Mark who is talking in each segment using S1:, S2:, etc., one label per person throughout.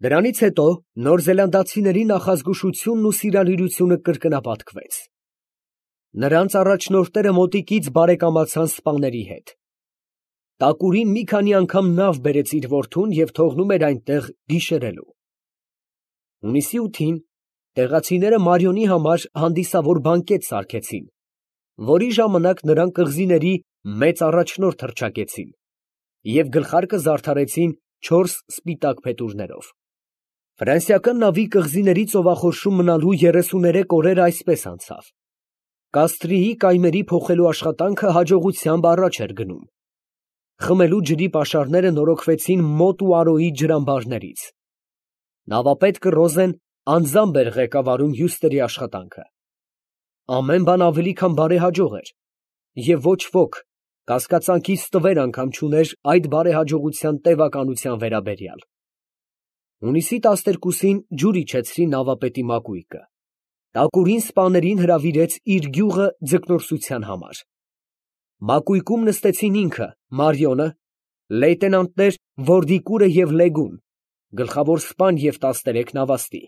S1: Դրանից հետո նորզելանդացիների նախազգուշությունն ու սիրալիրությունը կրկնապատկվեց։ Նրանց առաջնորդները մոտիկից բարեկամացան սպաների հետ։ Տակուրին մի քանի անգամ նավ բերեց իր որդուն և թողնում էր այնտեղ գիշերելու։ Հունիսի 8-ին տեղացիները Մարիոնի համար հանդիսավոր բանկետ սարքեցին, որի ժամանակ նրանք կղզիների մեծ առաջնորդ հռչակեցին և գլխարկը զարդարեցին 4 սպիտակ փետուրներով։ Ֆրանսիական նավի կղզիների ծովախորշում մնալու 33 օրերը այսպես անցավ։ Կաստրիի կայմերի փոխելու աշխատանքը հաջողությամբ առաջ էր գնում։ Խմելու ջրի պաշարները նորոգվեցին Մոտ ու Արոյի ջրամբարներից։ Նավապետը Ռոզեն անձամբ էր ղեկավարում հյուստրի աշխատանքը։ Ամեն բան ավելի քան բարեհաջող էր, և ոչ ոք կասկածանքի ստվեր անգամ չուներ այդ բարեհաջողության տևականության վերաբերյալ։ Հունիսի 12-ին ջուր իջեցրին նավապետի մակույկը։ Տակուրին սպաներին հրավիրեց իր գյուղը ձկնորսության համար։ Մակույկում նստեցին ինքը, Մարիոնը, լեյտենանտներ Որդիկուրը և Լեգուն, գլխավոր սպան և 13 նավաստի։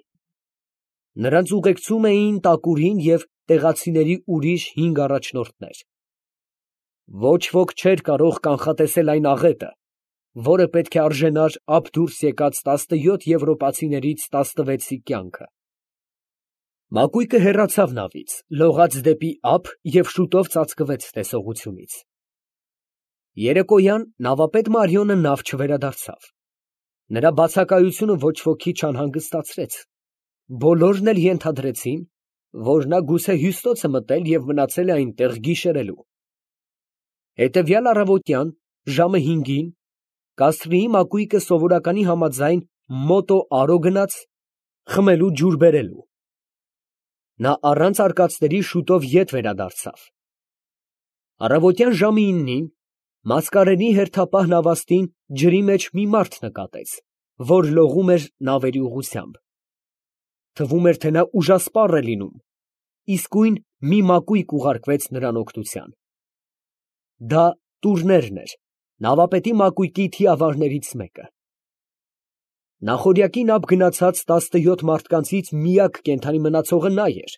S1: Նրանց ուղեկցում էին Տակուրին և տեղացիների ուրիշ 5 առաջնորդներ։ Ոչ ոք չէր կարող կանխատեսել այն աղետը, որը պետք է արժենար ափ դուրս եկած 17 եվրոպացիներից 16-ի կյանքը։ Մակույկը հեռացավ նավից, լողաց դեպի ափ և շուտով ծածկվեց տեսողությունից։ Երեկոյան նավապետ Մարիոնը նավ չվերադարձավ։ Նրա բացակայությունը ոչ ոքի չանհանգստացրեց։ Բոլորն էլ ենթադրեցին, որ նա գուցե Հյուստոց է մտել և մնացել է այնտեղ գիշերելու։ Հետևյալ առավոտյան ժամը 5-ին Կաստրիի մակույկը սովորականի համաձայն Մոտո Արո գնաց խմելու ջուր բերելու։ Նա առանց արկածների շուտով ետ վերադարձավ։ Առավոտյան ժամը 9-ին Մասկարենի հերթապահ նավաստին ջրի մեջ մի մարդ նկատեց, որ լողում էր նավերի ուղղությամբ։ Թվում էր, թե նա ուժասպառ է լինում, իսկույն մի մակույկ ուղարկվեց նրան օգնության։ Դա Տուրներն էր, նավապետի մակույկի թիավարներից մեկը։ Նախօրյակին ափ գնացած 17 մարդկանցից միակ կենդանի մնացողը նա էր,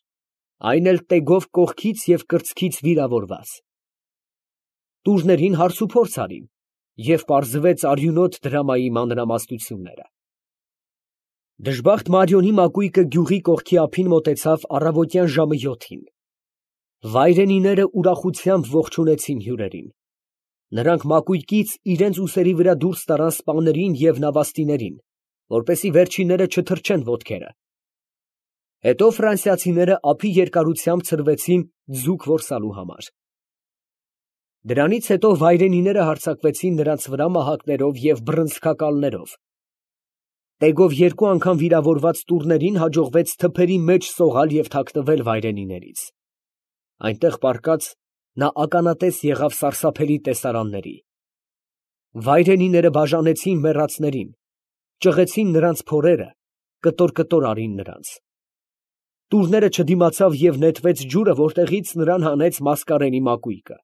S1: այն էլ տեգով կողքից և կրծքից վիրավորված։ Տուրներին հարցուփորձ արին, և պարզվեց արյունոտ դրամայի մանրամասնությունները։ Դժբախտ Մարիոնի մակույկը գյուղի կողքի ափին մոտեցավ առավոտյան ժամը 7-ին։ Վայրենիները ուրախությամբ ողջունեցին հյուրերին։ Նրանք մակույկից իրենց ուսերի վրա դուրս տարան սպաներին և նավաստիներին, որպեսզի վերջինները չթրջեն ոտքերը։ Հետո ֆրանսիացիները ափի երկարությամբ ցրվեցին ձուկ որսալու համար։ Դրանից հետո վայրենիները հարձակվեցին նրանց վրա մահակներով և բռնցքակալներով։ Տեգով 2 անգամ վիրավորված տուրներին հաջողվեց թփերի մեջ սողալ և թաքնվել վայրենիներից։ Այնտեղ պառկած նա ականատես եղավ սարսափելի տեսարանների։ Վայրենիները բաժանեցին մեռածներին, ճղեցին նրանց փորերը, կտոր արին նրանց։ Տուրները չդիմացավ և նետվեց ջուրը, որտեղից նրան հանեց Մասկարենի մակույկը։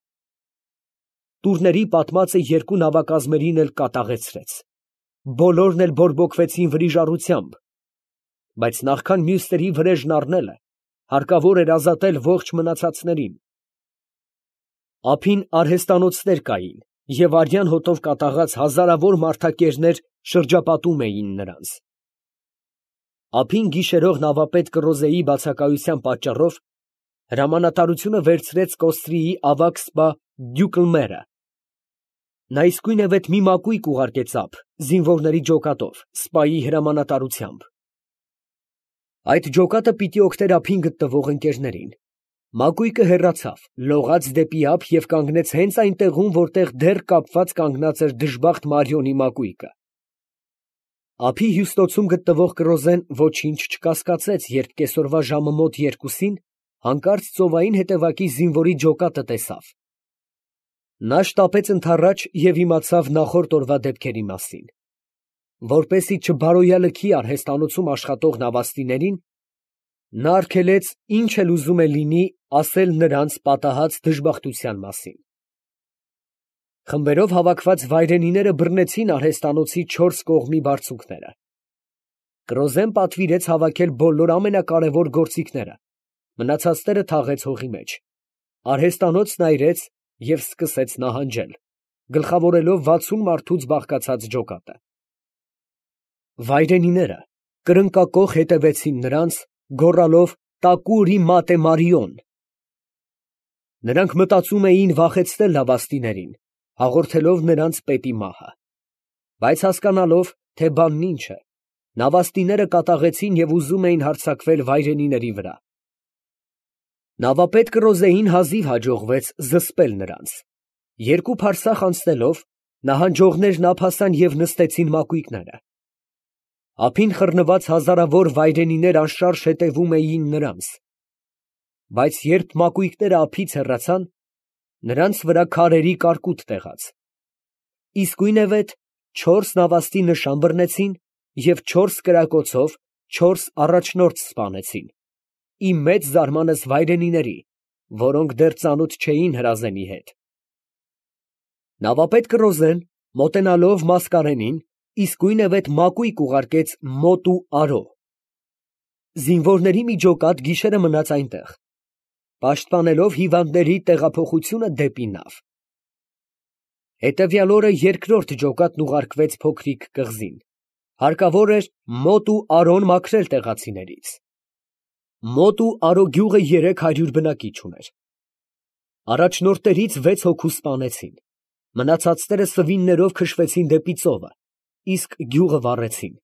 S1: Տուրների պատմածը 2 նավակազմերին էլ կատաղեցրեց։ Բոլորն էլ բորբոքվեցին վրիժառությամբ, բայց նախքան մյուսների վրեժն առնելը, հարկավոր էր ազատել ողջ մնացածներին։ Ափին արհեստանոցներ կային, և արյան հոտով կատաղած հազարավոր մարդակերներ շրջապատում էին նրանց։ Ափին գիշերող նավապետ Կռոզեի բացակայության պատճառով հրամանատարությունը վերցրեց Կոստրիի ավագ սպա Դյուկլմերը։ Նա իսկույնևեթ մի մակույկ ուղարկեց ափ, զինվորների ջոկատով, սպայի հրամանատարությամբ։ Այդ ջոկատը պիտի օգներ ափին գտնվող ընկերներին։ Մակույկը հեռացավ, լողաց դեպի ափ և կանգնեց հենց այն տեղում, որտեղ դեռ կապված կանգնած էր դժբախտ Մարիոնի մակույկը։ Ափի հյուստոցում գտնվող Կռոզեն ոչինչ չկասկածեց, երբ կեսօրվա ժամը մոտ 2-ին հանկարծ ծովային հետևակի զինվորի ջոկատը տեսավ։ Նա շտապեց ընդառաջ և իմացավ նախորդ օրվա դեպքերի մասին։ Որպեսզի չբարոյալքի արհեստանոցում աշխատող նավաստիներին, նա արգելեց ինչ էլ ուզում է լինի ասել նրանց պատահած դժբախտության մասին։ Խմբերով հավաքված վայրենիները բռնեցին արհեստանոցի 4 կողմի բարձունքները։ Կրոզեն պատվիրեց հավաքել բոլոր ամենակարևոր գործիքները, մնացածները թաղեց հողի մեջ, արհեստանոց նայրեց և սկսեց նահանջել, գլխավորելով 60 մարդուց բաղկացած ջոկատը։ Վայրենիները կրնկակոխ հետևեցին նրանց, գոռալով «Տակուրի մատե Մարիոն»։ Նրանք մտածում էին վախեցնել նավաստիներին, հաղորդելով նրանց պետի մահը, բայց հասկանալով, թե բանն ինչ է, նավաստիները կատաղեցին և ուզում էին հարձակվել վայրենիների վրա։ Նավապետ Կրոզեին հազիվ հաջողվեց զսպել նրանց։ Երկու փարսախ անցնելով, նահանջողներն ափասան և նստեցին մակույկները։ Ափին խռնված հազարավոր վայրենիներ անշարժ հետևում էին նրանց, բայց երբ մակույկները ափից հեռացան, նրանց վրա քարերի կարկուտ տեղաց։ Իսկույնևեթ 4 նավաստի նշան բռնեցին և 4 կրակոցով 4 առաջնորդ սպանեցին, ի մեծ զարմանս վայրենիների, որոնք դեռ ծանոթ չէին հրազենի հետ։ Նավապետ Կրոզեն, մոտենալով Մասկարենին, իսկույնևեթ մակույկ ուղարկեց մոտ ու արո։ Զինվորների մի ջոկատ գիշերը մնաց այնտեղ, պաշտպանելով հիվանդների տեղափոխությունը դեպի նավ։ Հետևյալ օրը երկրորդ ջոկատն ուղարկվեց փոքրիկ կղզին, հարկավոր էր մոտ ու արոն մաքրել տեղացիներից։ Մոտ ու արո գյուղը 300 բնակիչ ուներ։ Առաջնորդներից 6 հոգու սպանեցին, մնացածները սվիններով քշվեցին դեպի ծովը, իսկ գյուղը վառեցին։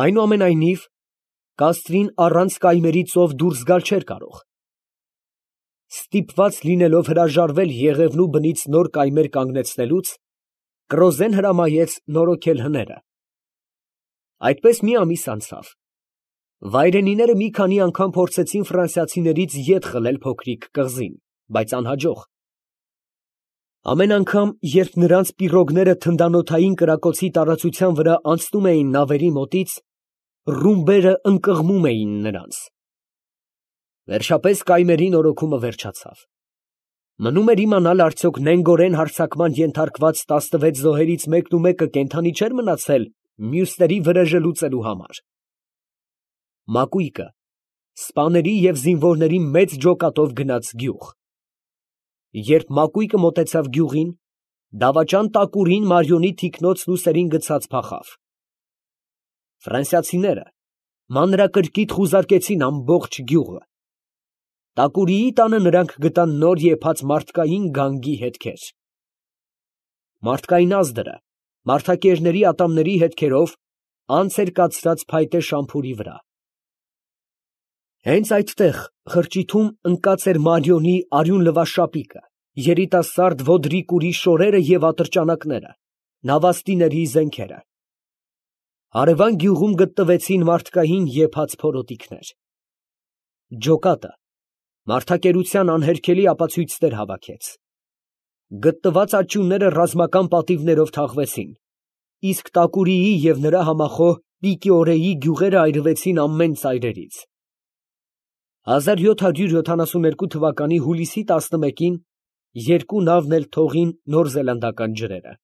S1: Այնուամենայնիվ, կաստրին առանց կայմերի ծով դուրս գալ չէր կարող։ Ստիպված լինելով հրաժարվել Եղևնու բնից նոր կայմեր կանգնեցնելուց, Կրոզեն հրամայեց նորոգել հները։ Այդպես մի ամիս անցավ։ Վայրենիները մի քանի անգամ փորձեցին ֆրանսիացիներից ետ խլել փոքրիկ կղզին, բայց անհաջող։ Ամեն անգամ, երբ նրանց պիրոգները թնդանոթային կրակոցի տարածության վրա անցնում էին նավերի մոտից, ռումբերը ընկղմում էին նրանց։ Վերջապես կայմերի նորոգումը վերջացավ։ Մնում էր իմանալ, արդյոք նենգորեն հարձակման ենթարկված 16 զոհերից մեկնումեկը կենդանի չէր մնացել մյուսների վրեժը լուծելու համար։ Մակույկը սպաների և զինվորների մեծ ջոկատով գնաց գյուղ։ Երբ մակույկը մոտեցավ գյուղին, դավաճան Տակուրին Մարիոնի թիկնոցն ուսերին գցած փախավ։ Ֆրանսիացիները մանրակրկիտ խուզարկեցին ամբողջ գյուղը։ Տակուրիի տանը նրանք գտան նոր եփած մարդկային գանգի հետքեր։ Մարդկային ազդրը մարդակերների ատամների հետքերով անց էր կացրած փայտե շամփուրի վրա։ Հենց այդտեղ խրճիթում ընկած էր Մարիոնի արյուն լվաշապիկը, երիտասարդ Ոդրիկուրի շորերը և ատրճանակները, նավաստիների զենքերը։ Հարևան գյուղում գտնվեցին մարդկային եփած փորոտիքներ։ Ջոկատը մարդակերության անհերքելի ապացույցներ հավաքեց։ Գտնված աճյունները ռազմական պատիվներով թաղվեցին, իսկ Տակուրիի և նրա համախոհ Պիկիորեի գյուղերը այրվեցին ամեն ծայրերից։ 1772 թվականի հուլիսի 11-ին երկու նավն էլ թողին նորզելանդական ջրերը։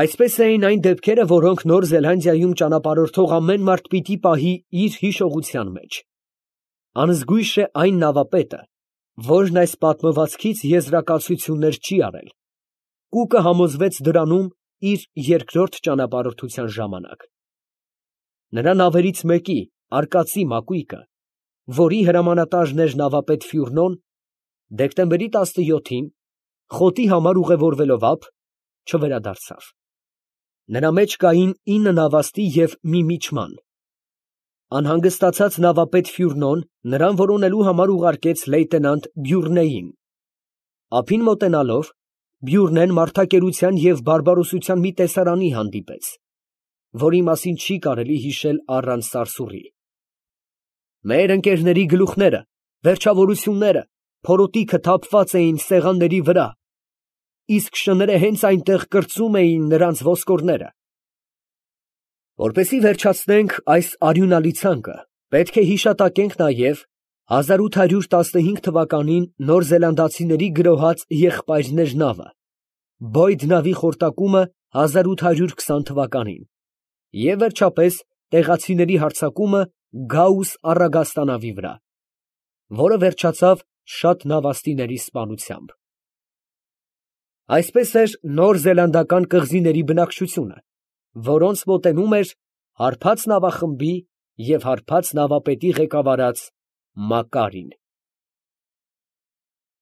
S1: Այսպես էին այն դեպքերը, որոնք Նոր Զելանդիայում ճանապարհորդող ամեն մարդ պիտի պահի իր հիշողության մեջ։ Անզգույշ է այն նավապետը, որն այս պատմվածքից եզրակացություններ չի արել, ու կհամոզվեց դրանում իր երկրորդ ճանապարհորդության ժամանակ։ Նրա նավերից մեկի, արկածի մակույկը, որի հրամանատարն էր նավապետ Ֆյուրնոն, դեկտեմբերի 17-ին, խոտի համար ուղևորվելով ափ, չվերադարձավ։ Նրա մեջ կային 9 նավաստի և մի միջման։ Անհանգստացած նավապետ Ֆյուրնոն նրան որոնելու համար ուղարկեց լեյտենանտ Բյուրնեին։ Ափին մոտենալով, Բյուրնեն մարդակերության և բարբարոսության մի տեսարանի հանդիպեց, որի մասին չի կարելի հիշել առանց սարսուռի։ Մեր ընկերների գլուխները, վերջավորությունները, փորոտիքը թափված էին սեղանների վրա, իսկ շները հենց այնտեղ կրծում էին նրանց ոսկորները։ Որպեսզի վերջացնենք այս արյունալի ցանկը, պետք է հիշատակենք նաև 1815 թվականին նոր զելանդացիների գրոհած Եղբայրներ նավը, Բոյդ նավի խորտակումը 1820 թվականին, Եվ վերջապես տեղացիների հարձակումը Գաուս առագաստանավի վրա, որը վերջացավ շատ նավաստիների սպանությամբ։ Այսպես էր նոր զելանդական կղզիների բնակչությունը, որոնց մոտենում էր հարբած նավախմբի և հարբած նավապետի ղեկավարած Մակարին։